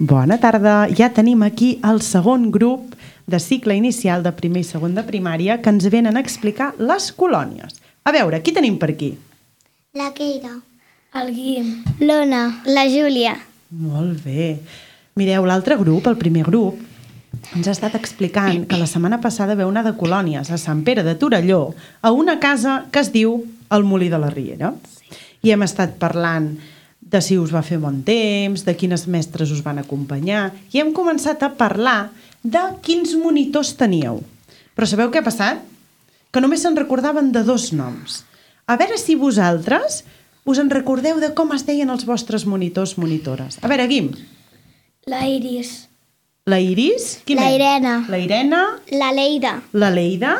Bona tarda. Ja tenim aquí el segon grup de cicle inicial de primer i segon de primària que ens venen a explicar les colònies. A veure, qui tenim per aquí? La Keira. El Guim. L'Ona. La Júlia. Molt bé. Mireu, l'altre grup, el primer grup, ens ha estat explicant que la setmana passada veu anar de colònies a Sant Pere de Torelló a una casa que es diu el Molí de la Riera. I hem estat parlant de si us va fer bon temps, de quines mestres us van acompanyar, i hem començat a parlar de quins monitors teníeu. Però sabeu què ha passat? Que només se'n recordaven de 2 noms. A veure si vosaltres us en recordeu de com es deien els vostres monitors, monitores. A veure, Guim. La Iris. La Iris? Qui La més? Irene. La Irene. La Leida. La Leida.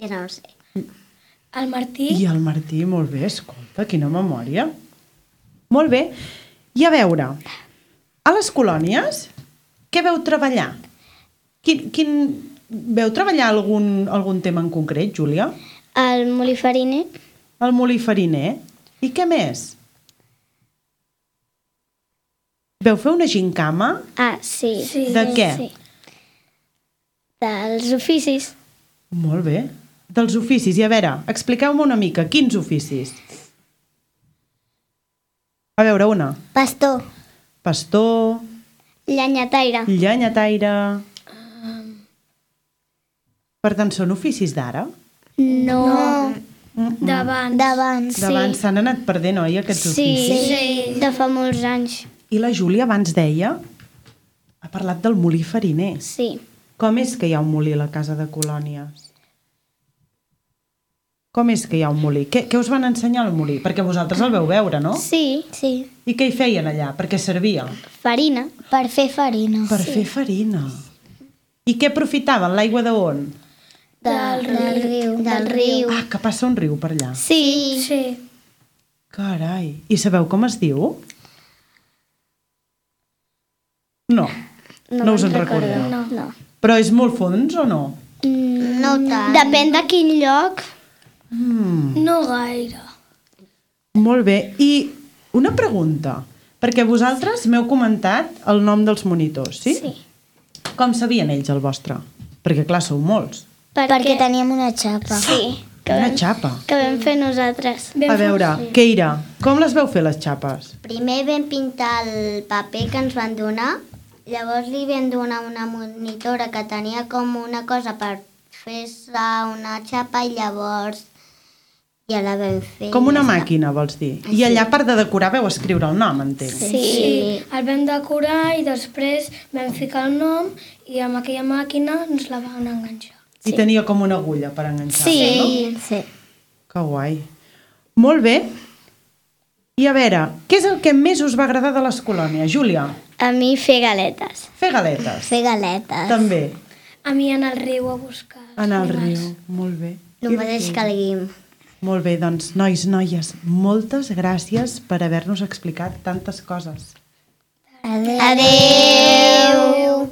Ja no ho sé. El Martí. I el Martí, molt bé, escolta, quina memòria. Molt bé. I a veure, a les colònies, què veu treballar? Veu treballar algun tema en concret, Júlia? El molí fariner. El molí fariner. I què més? Veu fer una gincama? Ah, sí. De què? Sí. Dels oficis. Molt bé. Dels oficis. I a veure, expliqueu-me una mica, quins oficis? A veure, una. Pastor. Pastor, Llenyataire. llenyataire... Per tant, són oficis d'ara? No. D'abans. D'abans, sí. D'abans s'han anat perdent, oi, aquests oficis? Sí, de fa molts anys. I la Júlia abans deia... Ha parlat del molí fariner. Sí. Com és que hi ha un molí a la casa de colònies? Com és que hi ha un molí? Què us van ensenyar al molí? Perquè vosaltres el veu veure, no? Sí. Sí. I què hi feien allà? Per què servia? Farina. Per fer farina. Per fer farina. I què aprofitaven? L'aigua d'on? Del riu. Ah, que passa un riu per allà. Sí. Sí. Carai. I sabeu com es diu? No. No us en recordeu. No. Però és molt fons o no? No tant. Depèn de quin lloc. No gaire. Molt bé. I una pregunta, perquè vosaltres m'heu comentat el nom dels monitors, sí? Sí. Com sabien ells el vostre? Perquè clar, sou molts. Perquè teníem una xapa. Sí. Una xapa. Que vam fer nosaltres. A veure, Keira, com les veu fer les xapes? Primer vam pintar el paper que ens van donar, llavors li vam donar una monitora que tenia com una cosa per fer-se una xapa i llavors ja la vam fer. Com una màquina, vols dir? I allà, a part de decorar, veu escriure el nom, entenc. Sí. El vam decorar i després vam ficar el nom i amb aquella màquina ens la van enganxar. I tenia com una agulla per enganxar-la, no? Sí. Que guai. Molt bé. I a veure, què és el que més us va agradar de les colònies? Júlia, A mi fer galetes. fer galetes. Fer galetes. També. A mi anar al riu a buscar. Anar al riu. Molt bé. El mateix que el Guim. Molt bé, doncs, nois, noies, moltes gràcies per haver-nos explicat tantes coses. Adeu.